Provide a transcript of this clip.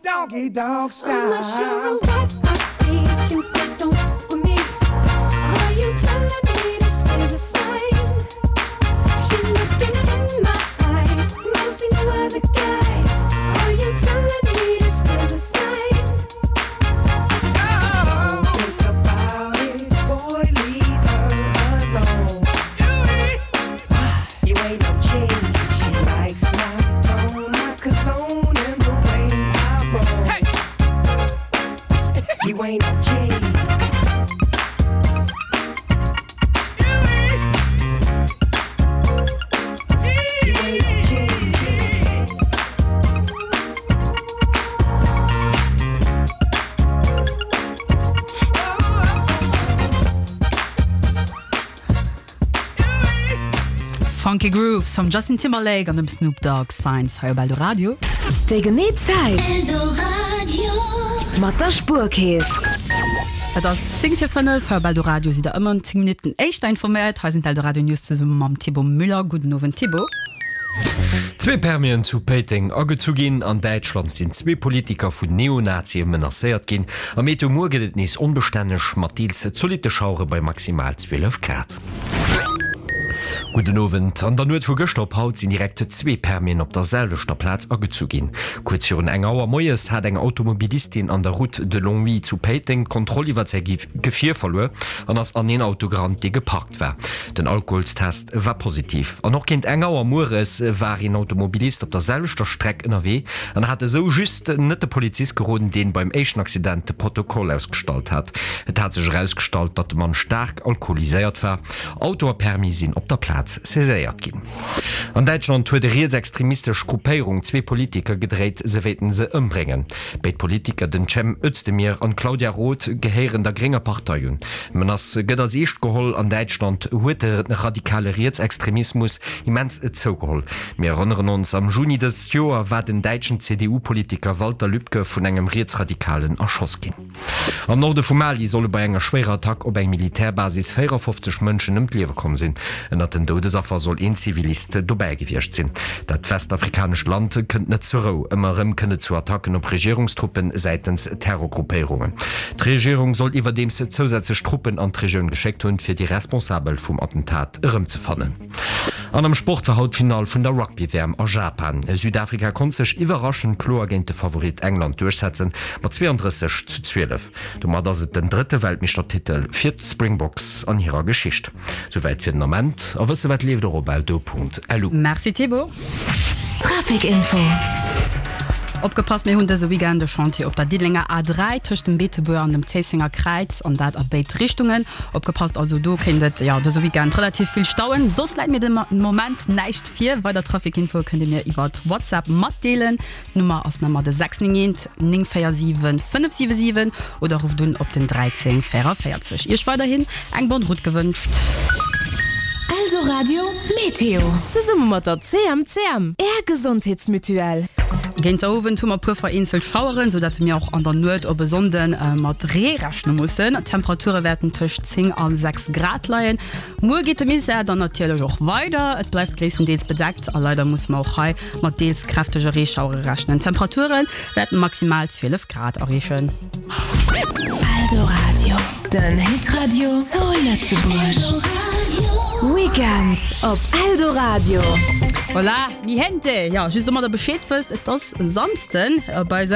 Doggy Dogg style. I'm not sure of what I see. You don't fuck with me. Are you telling me this is a sign? She's looking in my eyes. No see no other guys. Are you telling me this is a sign? Don't think about it, boy, leave her alone. You ain't no G. She likes my tone, my cologne, and the way I roll. You ain't no G. You ain't no G. Funky Grooves vum Justin Timberlake an dem Snoop Dogg, Signs hei op Eldoradio. Déi genee Zäit. Mat der Spuerkeess. Et ass 10 vir 5 hei op Eldoradio. Sidd der ëmmer 10 Minutten éischter informéiert. Hei sinn d'Eldoradio News zesumme mam Thibaut Müller. Gudden Owend Thibaut. Zwee Permien zu Péiteng agezu ginn. An Däitschland sinn zwee Politiker vun Neonazie menacéiert ginn. Am Meteo Muer gëtt et nees onbestänneg mat deels zolitte Schauere bei maximal 12 Grad. Gudden Owend. An der Nuet vu gëschter op haut sinn direkt zwee Permien op der selwechter Plaz agezu ginn. Kuerz virun eng Auer moies hat eng Automobilistin an der Route de Longwy zu Péiteng d'Kontroll iwwert säi Gefier verluer an ass an een Auto gerannt, dee geparkt war. Den Alkoholstest war positiv. An och géint eng Auer mueres war een Automobilist op der selwechter Streck ënnerwee an hat esou just net de Polizist geroden, deen beim éischten Accident de Protokoll ausgestallt hat. Et hat sech erausgestallt, datt de Mann staark alkoholiséiert war. Auto a Permis sinn op der Plaz saiséiert ginn. An Däitschland huet e rietsextremistesch Gruppéierung zwee Politiker gedréit, se wéilten se ëmbréngen. Béid Politiker, den Cem Özdemir an d'Claudia Roth, gehéieren der grénger Partei un. D'Menace gëtt als eescht geholl. An Däitschland huet de radikale Rietsextremismus immens zougeholl. Mir erënneren ons, Am Juni dëst Joer war den däitschen CDU-Politiker Walter Lübcke vun engem Rietsradikalen erschoss ginn. Am Norde vu Mali solle bei enger schwéierer Attack op eng Militärbasis 54 Mënschen ëm d'Liewe komm sinn. Ënnert den Doudesaffer soll een Zivilist dobäi gewiescht sinn. Dat westafrikanescht Land kënnt net zur Rou. Ëmmer erëm kënnt et zu Attacken op Regierungstruppe säitens Terrorgruppéierungen. D'Regierung soll iwwerdeems zousätzlech Truppen an d'Regioun geschéckt hunn, fir déi Responsabel vum Attentat erëmzefannen. An am Sport war haut d'Finall vun der Rugby-WM a Japan. Südafrika konnt sech iwwerraschend kloer géint de Favorit England duerchsetzen, mat 32 zu 12. Domat ass et den drëtte Weltmeeschtertitel fir d'Springboks an hirer Geschicht. Souwäit fir den Ament. A wësse wat leeft och op eldo.lu. Merci Thibaut. Trafic Info. Opgepasst, mir hunn dëse Weekend e Chantier op der Diddelenger A3 tëscht dem Beetebuer an dem Zéissenger Kräiz an dat a béid Richtungen. Opgepasst also, do kéint et jo dëse Weekend relativ vill stauen. Soss läit mir de Moment näischt vir. Weider Traficinfoe kënnt dir mir iwwert WhatsApp matdeelen. D'Nummer ass nach emmer de 691 947 577 oder rufft un op den 13 44. Iech weiderhin eng bonne route gewënscht. Eldoradio Meteo. Zesumme mat der CMCM, Är Gesondheetsmutuelle. Géint der Owend hu mer puer vereenzelt Schaueren, sou dat mir och an der Nuet op e Sonnde mat Ree rechne mussen. D'Temperature wäerten tëscht 10 a 6 Grad leien. Muer geet de Misär dann natierlech och weider, et bleift gréisstendeels bedeckt a leider musse mer och hei mat deels kräftege Reeschauere rechnen. D'Temperature wäerten maximal 12 Grad erreechen. Eldoradio, den Hitradio zu Lëtzebuerg. Weekend op Eldoradio. Hola mi gente! Jo, just domadder Bescheed wësst, et ass Samsden bei esou.